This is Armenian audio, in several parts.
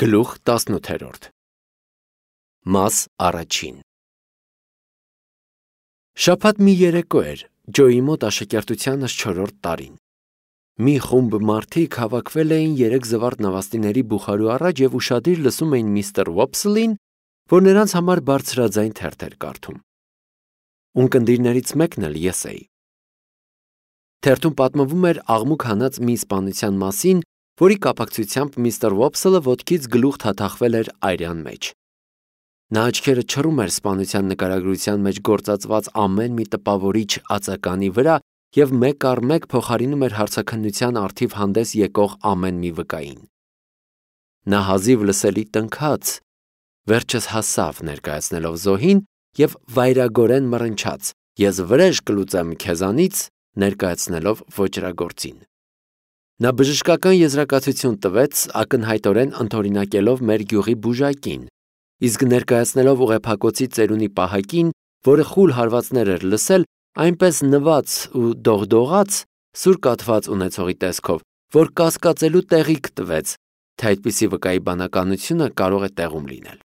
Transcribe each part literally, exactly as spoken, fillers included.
Գլուխ տասնութերորդ Մաս առաջին Շաբաթ մի երեկո էր, Ջոյի մոտ աշակերտությանս չորրորդ տարին։ Մի խումբ մարդիկ հավաքվել էին երեք զվարթ նավաստիների բուխարու առաջ և ուշադիր լսում էին միստր Ոփսլին, որ նրանց համար բարձրաձայն թերթ էր կարդում։ Ունկնդիրներից մեկն էլ ես էի։ Թերթում պատմվում էր աղմուկ հանած մի սպանության մասին, որի կապակցությամբ միստր Ոփսլը ոտքից գլուխ թաթախվել էր այրյան մեջ։ Նա աչքերը չռում էր սպանության նկարագրության մեջ գործածված ամեն մի տպավորիչ ածականի վրա և մեկ առ մեկ փոխարինում էր հարցաքննության առթիվ հանդես եկող ամեն մի վկային։ Նա հազիվ լսելի տնքաց, վերջս հասավ ներկայացնելով զոհին և վայրագորեն մռնչաց. «Ես վրեժ կլուծեմ քեզանից», ներկայացնելով ոճրագործին։ Նա բժշկական եզրակացություն տվեց, ակնհայտորեն ընդօրինակելով մեր գյուղի բուժակին, իսկ ներկայացնելով ուղեփակոցի ծերունի պահակին, որը խուլ հարվածներ էր լսել, այնպես նված ու դողդողաց, սուր կաթված ունեցողի տեսքով, որ կասկածելու տեղիք տվեց, թե այդպիսի վկայի բանականությունը կարող է տեղում լինել։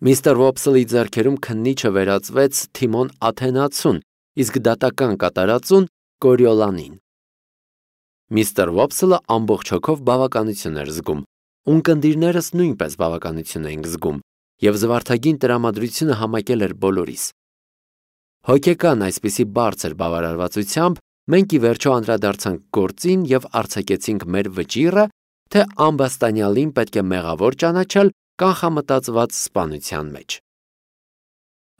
Միստր Ոփսլի ձեռքերում քննիչը վերածվեց Թիմոն Աթենացուն, իսկ դատական կատարածուն Կորիոլանին։ Միստր Ոփսլը ամբողջ հոգով բավականություն էր զգում, ունկնդիրներս նույնպես բավականություն էինք զգում, և զվարթագին տրամադրությունը համակել էր բոլորիս։ Հոգեկան այսպիսի բարձր բավարարվածությամբ մենք ի վերջո անդրադարձանք գործին և արձակեցինք մեր վճիռը, թե ամբաստանյալին պետք է մեղավոր ճանաչել կանխամտածված սպանության մեջ։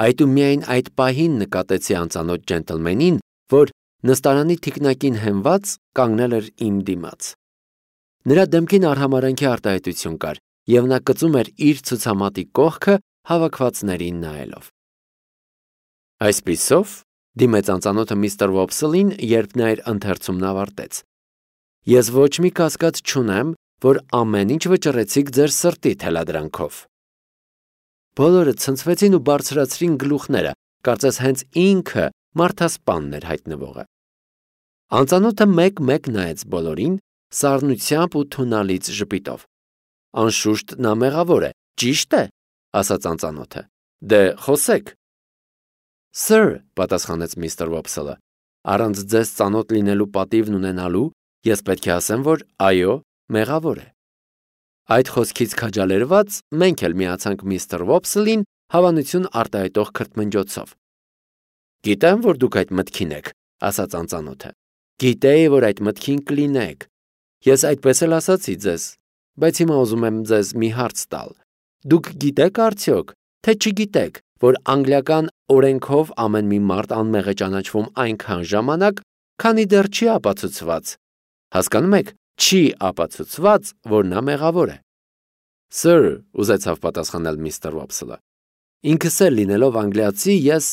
Այդումիայն այդ պահին նկատեցի անծանոթ ջենտլմենին, որ նստարանի թիկնակին հենված կանգնել էր իմ դիմաց։ Նրա դեմքին արհամարհանքի արտահայտություն կար, և նա կծում էր իր ցուցամատի կողքը հավաքվածներին նայելով։ Այսպիսով, դիմեց անծանոթը միստր Ոփսլին, երբ նա իր ընթերցումն ավարտեց, ես ոչ մի կասկած չունեմ, որ ամեն ինչ վճռեցիք ձեր սրտի թելադրանքով։ Բոլորը ցնցվեցին ու բարձրացրին գլուխները, կարծես հենց ինքը մարդասպանն էր հայտնվողը։ Անծանոթը մեկ-մեկ նայեց բոլորին, սառնությամբ ու թունալից ժպիտով։ Անշուշտ նա մեղավոր է, ճի՞շտ է, ասաց անծանոթը։ Դե խոսեք։ Սըր, պատասխանեց միստր Ոփսլը, առանց ձեզ ծանոթ լինելու պատիվն ունենալու, ես պետք է ասեմ, որ այո, մեղավոր է։ Այդ խոսքից քաջալերված մենք էլ միացանք միստր Ոփսլին հավանություն արտահայտող քրթմնջոցով։ Գիտեմ, որ դուք այդ մտքին եք, ասաց անծանոթը։ Գիտեի, որ այդ մտքին կլինեք։ Ես այդպես էլ ասացի ձեզ, բայց հիմա ուզում եմ ձեզ մի հարց տալ։ Դուք գիտեք արդյոք, թե չգիտեք, որ անգլիական օրենքով ամեն մի մարդ անմեղ է ճանաչվում այնքան ժամանակ, քանի դեռ չի ապացուցված։ Հասկանում եք, չի ապացուցված, որ նա մեղավոր է։ Սըր, ուզեցավ պատասխանել միստր Ոփսլը։ Ինքս էլ լինելով անգլիացի, ես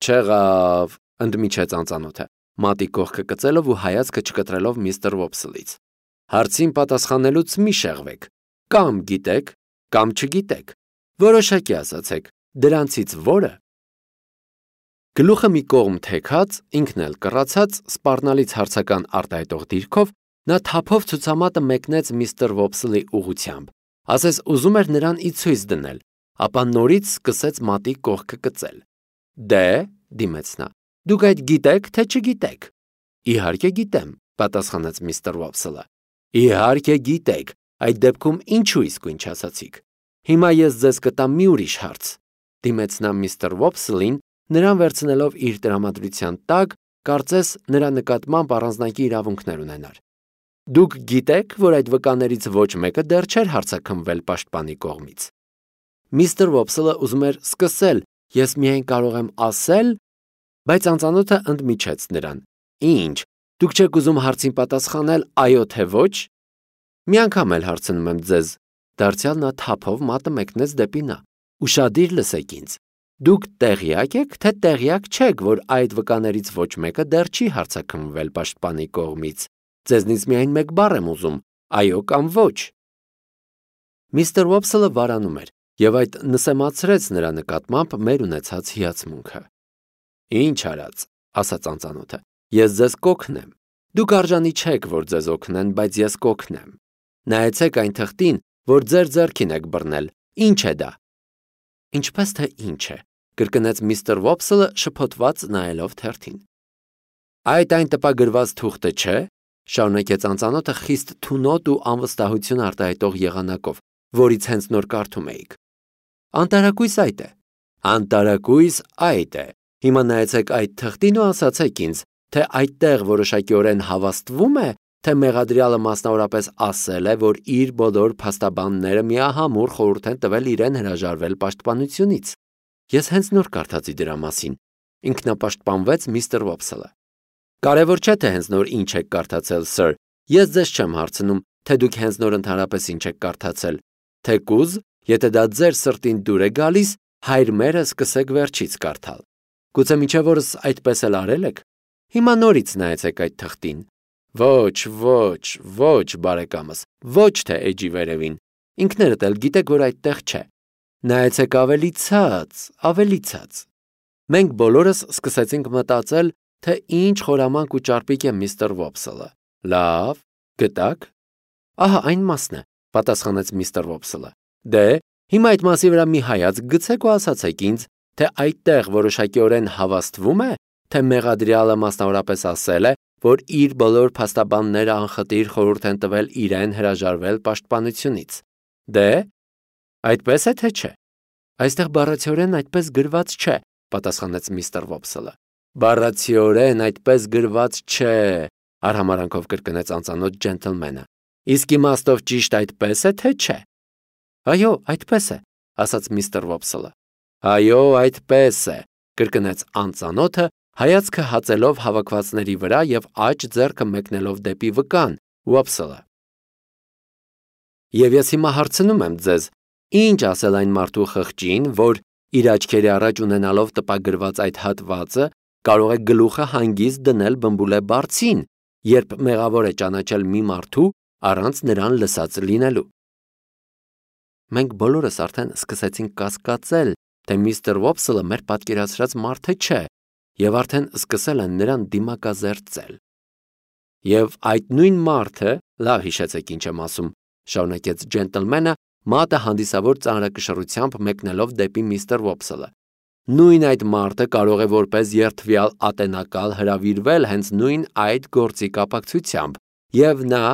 չեղավ, ընդմիջեց անծանոթը, մատի կողքը կծելով ու հայացքը չկտրելով միստր Ոփսլից։ Հարցին պատասխանելուց մի շեղվեք, կամ գիտեք, կամ չգիտեք, որոշակի ասացեք, դրանցից որը։ Գլուխը մի կողմ թեքած, ինքն էլ կռացած, սպառնալից հարցական արտահայտող դիրքով, նա թափով ցուցամատը մեկնեց միստր Ոփսլի ուղղությամբ, ասես ուզում էր նրան ի ցույց դնել, ապա նորից սկսեց մատի կողքը կծել։ Դե, դիմեց նա, դուք այդ գիտեք, թե չգիտեք։ Իհարկե գիտեմ, պատասխանեց միստր Ոփսլը։ Իհարկե գիտեք, այդ դեպքում ինչու իսկույն չասացիք։ Հիմա ես ձեզ կտամ մի ուրիշ հարց, դիմեց նա միստր Ոփսլին, նրան վերցնելով իր տրամադրության տակ, կարծես նրա նկատմամբ առանձնակի իրավունքներ ունենար։ Դուք գիտեք, որ այդ վկաներից ոչ մեկը դեռ չէր հարձակվվել պաշտպանի կողմից։ Միստր Ոփսլը ուզում էր սկսել, ես միայն կարող եմ ասել, բայց անծանոթը ընդմիջեց նրան։ Ինչ, դուք չեք ուզում հարցին պատասխանել այո թե ոչ։ Մի անգամ էլ հարցնում եմ ձեզ, դարձյալ նա թափով մատը մեկնեց դեպի նա։ Ուշադիր լսեք ինձ։ Դուք տեղյակ եք, թե տեղյակ չեք, որ այդ վկաներից ոչ մեկը դեռ չի հարձակվվել պաշտպանի կողմից։ Ձեզնից միայն մեկ բառ եմ ուզում, այո կամ ոչ։ Միստր Ոփսլը վարանում էր, և այդ նսեմացրեց նրա նկատմամբ մեր ունեցած հիացմունքը։ Ինչ արած, ասաց անծանոթը, ես ձեզ կօգնեմ։ Դուք արժանի չեք, որ ձեզ օգնեն, բայց ես կօգնեմ։ Նայեցեք այն թղթին, որ ձեր ձեռքին եք բռնել։ Ինչ է դա։ Ինչպես թե ինչ է, կրկնեց միստր Վոփսելը շփոթված նայելով թերթին։ Այդ այն տպագրված թուղթը չէ, շարունակեց անծանոթը խիստ թունոտ ու անվստահություն արտահայտող եղանակով, որից հենց նոր կարդում էիք։ Անտարակույս այդ է։ Անտարակույս այդ է։ Հիմա նայեցեք այդ թղթին ու ասացեք ինձ, թե այդտեղ որոշակիորեն հավաստվում է, թե մեղադրյալը մասնավորապես ասել է, որ իր բոլոր փաստաբանները միահամուռ խորհուրդ են տվել իրեն հրաժարվել պաշտպանությունից։ Ես հենց նոր կարդացի դրա մասին, ինքնապաշտպանվեց միստր Վոփսելը։ Կարևոր չէ, թե հենց նոր ինչ եք կարդացել, սըր։ Ես ձեզ չեմ հարցնում, թե դուք հենց նոր ընդհանրապես ինչ եք կարդացել։ Թեկուզ, եթե դա ձեր սրտին դուր է գալիս, հայր մերը սկսեք վերջից կարդալ։ Գուցե մինչև օրս այդպես էլ արել եք։ Հիմա նորից նայեցեք այդ թղթին։ Ոչ, ոչ, ոչ, բարեկամս, ոչ թե էջի վերևին։ Ինքներդ էլ գիտեք, որ այդտեղ չէ։ Նայեցեք ավելի ցած, ավելի ցած։ Մենք բոլորս սկսեցինք մտածել, թե ինչ խորամանկ ու ճարպիկ է միստր Վոփսելը։ Լավ, գտակ։ Ահա այն մասն է, պատասխանեց միստր Վոփսելը։ Դե, հիմա այդ մասի վրա մի հայացք գցեք ու ասացեք ինձ, թե այդտեղ որոշակիորեն հավաստվում է, թե մեղադրյալը մասնավորապես ասել է, որ իր բոլոր փաստաբանները անխտիր խորհուրդ են տվել իրեն հրաժարվել պաշտպանությունից։ Դե, այդպես է թե չէ։ Այստեղ բառացիորեն այդպես գրված չէ, պատասխանեց միստր Վոփսելը։ Բառացիորեն այդպես գրված չէ, արհամարանքով կրկնեց անծանոթ ջենտլմենը։ Իսկ իմաստով ճիշտ այդպես է թե չէ։ Այո, այդպես է, ասաց միստր Վոփսելը։ Այո, այդպես է, կրկնեց անծանոթը, հայացքը հացելով հավաքվածների վրա եւ աջ ձեռքը մեկնելով դեպի վկան, Վոփսելը։ Եվ ես հիմա հարցնում եմ ձեզ, ինչ ասել այն մարդու խղճին, որ իր աչքերի առաջ ունենալով տպագրված այդ հատվածը կարող է գլուխը հանգիստ դնել բմբուլե բարձին, երբ մեղավոր է ճանաչել մի մարդու առանց նրան լսած լինելու։ Մենք բոլորս արդեն սկսեցինք կասկածել, թե միստր Վոփսելը մեր պատկերացրած մարդը չէ, եւ արդեն սկսել են նրան դիմակազերծել։ Եվ այդ նույն մարդը, լավ հիշեցեք ինչ եմ ասում, շարունակեց ջենտլմենը, մատը հանդիսավոր ծանրակշռությամբ մեկնելով դեպի միստր Վոփսելը։ Նույն այդ մարդը կարող է որպես երդվյալ ատենակալ հրավիրվել հենց նույն այդ գործի կապակցությամբ, եւ նա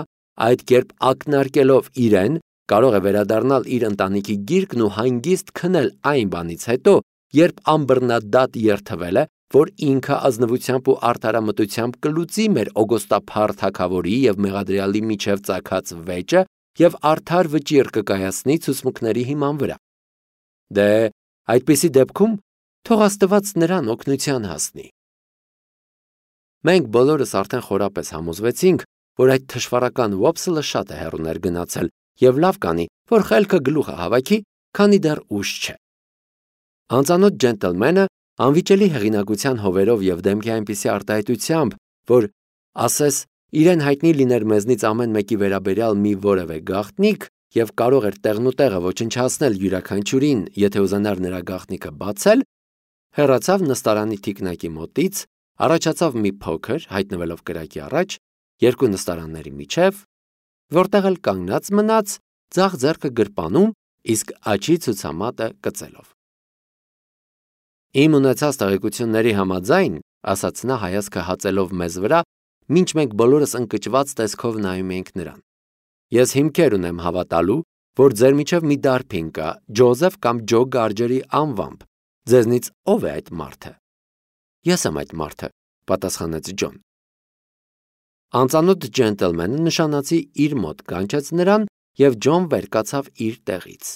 այդ կերպ ակնարկելով իրեն կարող է վերադառնալ իր ընտանիքի գիրկն ու հանգիստ քնել այն բանից հետո, երբ անբռնադատ երդվել է, որ ինքը ազնվությամբ ու արդարամտությամբ կլուծի մեր օգոստափառ թագավորի եւ մեղադրյալի միջև ծագած վեճը եւ արդար վճիռ կկայացնի ցուցմունքների հիման վրա։ Դե, այդպիսի դեպքում թող Աստված նրան օգնության հասնի։ Մենք բոլորս արդեն խորապես համոզվեցինք, որ այդ թշվառական Վոփսելը շատ է հեռու ներգնացել եւ լավ կանի, որ խելքը գլուխը հավաքի, քանի դեռ ուշ չէ։ Անծանոթ ջենտլմենը անվիճելի հեղինակության հովերով եւ դեմքի այնպիսի արտահայտությամբ, որ ասես իրեն հայտնի լիներ մեզնից ամեն մեկի վերաբերյալ մի որևէ գաղտնիք եւ կարող էր տեղնուտեղը ոչնչացնել յուրաքանչյուրին, եթե ուզենար նրա գաղտնիքը բացել, հեռացավ նստարանի թիկնակի մոտից, առաջացավ մի փոքր, հայտնվելով կրակի առաջ, երկու նստարանների միջև, որտեղ էլ կանգնած մնաց, ձախ ձեռքը գրպանում, իսկ աչի ցուցամատը կծելով։ Իմ ունեցած տեղեկությունների համաձայն, ասաց նա հայացքը հացելով մեզ վրա, մինչ մենք բոլորս ընկճված տեսքով նայում էինք նրան։ Ես հիմքեր ունեմ հավատալու, որ ձեր միջև մի դարբին կա, Ջոզեֆ կամ Ջո Գարջերի անվամբ։ Ձեզնից ով է այդ մարդը։ Ես եմ այդ մարդը, պատասխանեց Ջոն։ Անծանոթ ջենտլմենը նշանացի իր մոտ կանչեց նրան եւ Ջոն վեր կացավ իր տեղից։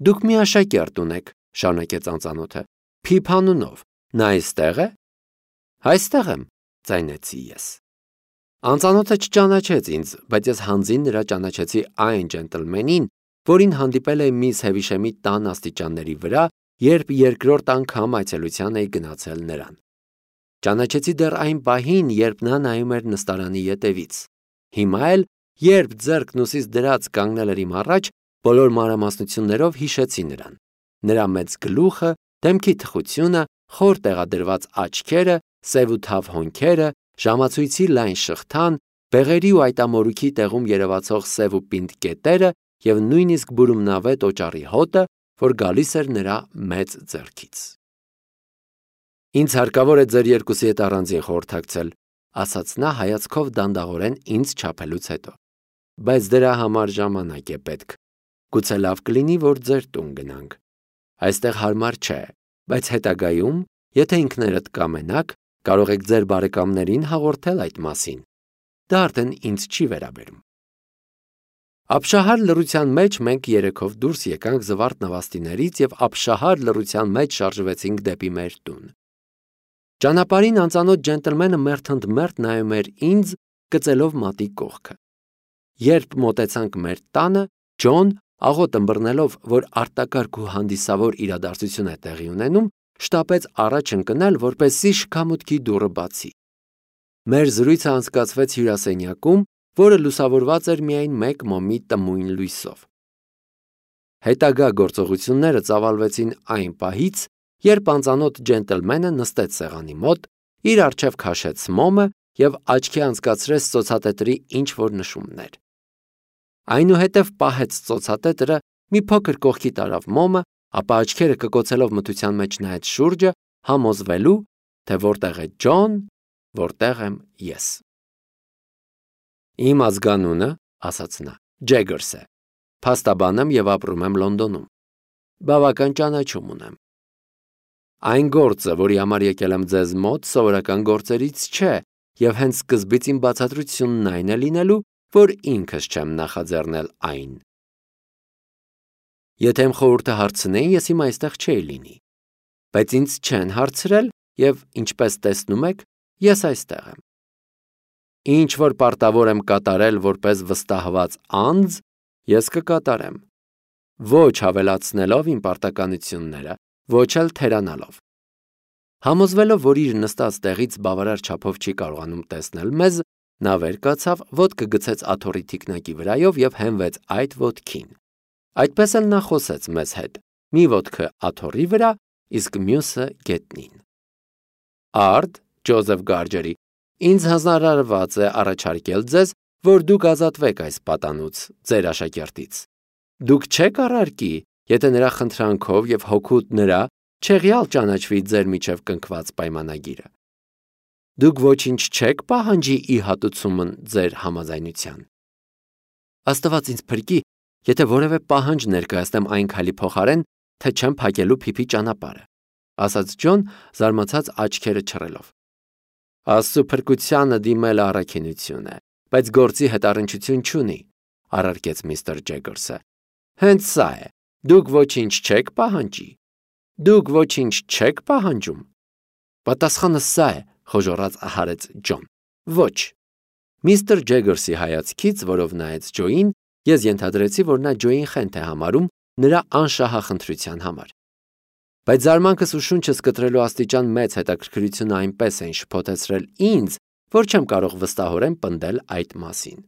Դուք մի աշակերտ ունեք, շարունակեց անծանոթը, Փիփ անունով, նա այստեղ է։ Այստեղ եմ, ձայնեցի ես։ Անծանոթը չճանաչեց ինձ, բայց ես հանձին նրա ճանաչեցի այն ջենտլմենին, որին հանդիպել էի միս Հևիշեմի տան աստիճանների վրա, երբ երկրորդ անգամ այցելության էի գնացել նրան։ Ճանաչեցի դեռ այն պահին, երբ նա նայում էր նստարանի ետևից։ Հիմա էլ, երբ ձեռքն ուսից դրած կանգնել էր իմ առաջ, բոլոր մանրամասնություններով հիշեցի նրան։ Նրա մեծ գլուխը, դեմքի թխությունը, խոր տեղադրված աչքերը, սև ու թավ հոնքերը, ժամացույցի լայն շղթան, բեղերի ու այտամորուքի տեղում երևացող սև ու պինդ կետերը և նույնիսկ բուրումնավետ օճառի հոտը, որ գալիս էր նրա մեծ ձեռքից։ Ինձ հարկավոր է ձեր երկուսի հետ առանձին խորհրդակցել, ասաց նա հայացքով դանդաղորեն ինձ չափելուց հետո։ Բայց դրա համար ժամանակ է պետք։ Գուցե լավ կլինի, որ ձեր տուն գնանք։ Այստեղ հարմար չէ, բայց հետագայում, եթե ինքներդ կամենաք, կարող եք ձեր բարեկամներին հաղորդել այդ մասին։ Դա արդեն ինձ չի վերաբերում։ Ապշահար լռության մեջ մենք երեքով դուրս եկանք Զվարթ նավաստիներից և ապշահար լռության մեջ շարժվեցինք դեպի մեր տուն։ Ճանապարհին անծանոթ ջենտլմենը մերթընդմերթ նայում էր ինձ, կծելով մատի կողքը։ Երբ մոտեցանք մեր տանը, Ջոն, աղոտ ըմբռնելով, որ արտակարգ ու հանդիսավոր իրադարձություն է տեղի ունենում, շտապեց առաջ ընկնել, որպեսզի շքամուտքի դուռը բացի։ Մեր զրույցը անցկացվեց հյուրասենյակում, որը լուսավորված էր միայն մեկ մոմի տմույն լույսով։ Հետագա գործողությունները ծավալվեցին այն պահից, երբ անծանոթ ջենտլմենը նստեց սեղանի մոտ, իր առջև քաշեց մոմը և աչքի անցկացրեց ծոցատետրի ինչ-որ նշումներ։ Այնուհետև պահեց ծոցատետրը, մի փոքր կողքի տարավ մոմը, ապա աչքերը կկոցելով մթության մեջ նայեց շուրջը, համոզվելու, թե որտեղ է Ջոն, որտեղ եմ ես։ Իմ ազգանունը, ասաց նա, Ջեգերս է, փաստաբան եմ և ապրում եմ Լոնդոնում։ Բավական ճանաչում ունեմ։ Այն գործը, որի համար եկել եմ ձեզ մոտ, սովորական գործերից չէ, և հենց սկզբից իմ բացատրությունն այն է լինելու, որ ինքս չեմ նախաձեռնել այն։ Եթե իմ խորհուրդը հարցնեին, ես հիմա այստեղ չէի լինի, բայց ինձ չեն հարցրել և, ինչպես տեսնում եք, ես այստեղ եմ։ Ինչ որ պարտավոր եմ կատարել որպես վստահված անձ, ես կկատարեմ, ոչ հավելացնելով իմ պարտականությունները, ոչ էլ թերանալով։ Համոզվելով, որ իր նստած տեղից բավարար չափով չի կարողանում տեսնել մեզ, նա վեր կացավ, ոտքը գցեց աթոռի թիկնակի վրայով և հենվեց այդ ոտքին։ Այդպես էլ նա խոսեց մեզ հետ, մի ոտքը աթոռի վրա, իսկ մյուսը գետնին։ Արդ, Ջոզեֆ Գարջերի, ինձ հանձնարարված է առաջարկել ձեզ, որ դուք ազատվեք այս պատանուց, ձեր աշակերտից։ Դուք չեք առարկի, եթե նրա խնդրանքով և հօգուտ նրա չեղյալ ճանաչվի ձեր միջև կնքված պայմանագիրը։ Դուք ոչինչ չեք պահանջի ի հատուցումն ձեր համաձայնության։ Աստված ինձ փրկի, եթե որևէ պահանջ ներկայացնեմ այն քայլի փոխարեն, թե չեմ փակելու փիփի ճանապարհը, ասաց Ջոն, զարմացած աչքերը չռելով։ Աստծո փրկությանը դիմել առաքինություն է, բայց գործի հետ առնչություն չունի, առարկեց միստր Ջեգերսը։ Հենց սա է, դուք ոչինչ չեք պահանջի։ Դուք ոչինչ չեք պահանջում։ Պատասխանը սա է, խոժոռաց հարեց Ջոն։ Ոչ։ Միստր Ջեգերսի հայացքից, որով նայեց Ջոյին, ես ենթադրեցի, որ նա Ջոյին խենթ է համարում նրա անշահախնդրության համար։ Բայց զարմանքս ու շունչս կտրելու աստիճան մեծ հետաքրքրությունը այնպես են շփոթեցրել ինձ, որ չեմ կարող վստահորեն պնդել այդ մասին։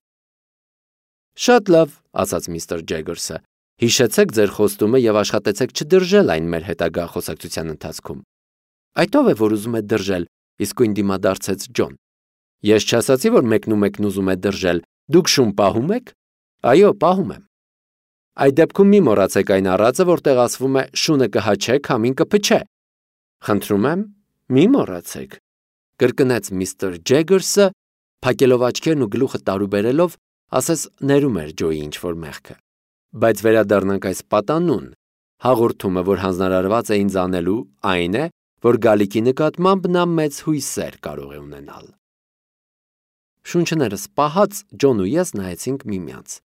Շատ լավ, ասաց միստր Ջեգերսը, հիշեցեք ձեր խոստումը և աշխատեցեք չդրժել այն մեր հետագա խոսակցության ընթացքում։ Այդ ով է, որ ուզում է դրժել, իսկույն դիմադարձեց Ջոն։ Ես չասացի, որ մեկն ու մեկն ուզում է դրժել, դուք շուն պահում եք։ Այո, պահում եմ։ Այդ դեպքում մի մոռացեք այն առածը, որտեղ ասվում է շունը կհաչե, քամին կփչե։ Խնդրում եմ, մի մոռացեք, կրկնեց միստր Ջեգերսը, փակելով աչքերն ու գլուխը տարուբերելով, ասես ներում էր Ջոյի ինչ-որ մեղքը։ Բայց վերադառնանք այս պատանուն։ Հաղորդումը, որ հանձնարարված է ինձ անելու, այն է, որ գալիքի նկատմամբ նա մեծ հույսեր կարող է ունենալ։ Շունչներս պահած Ջոն ու ես նայեցինք միմյանց։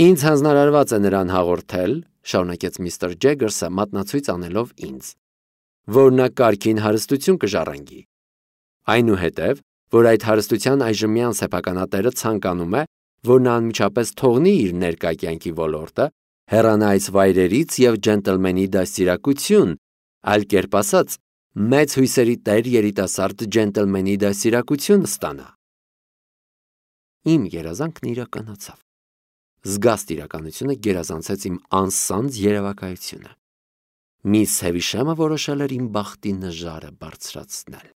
Ինձ հանձնարարված է նրան հաղորդել, շարունակեց միստր Ջեգերսը մատնացույց անելով ինձ, որ նա կարգին հարստություն կժառանգի։ Այնուհետև, որ այդ հարստության այժմյան սեփականատերը ցանկանում է, որ նա անմիջապես թողնի իր ներկա կյանքի ոլորտը, հեռանա այս վայրերից և ջենտլմենի դաստիարակություն, այլ կերպ ասած, մեծ հույսերի տեր երիտասարդ ջենտլմենի դաստիարակություն ստանա։ Իմ երազանքն իրականացավ։ Զգաստ իրականությունը գերազանցեց իմ անսանձ երևակայությունը։ Միս Հևիշամը որոշել էր իմ բախտի նժարը բարձրացնել։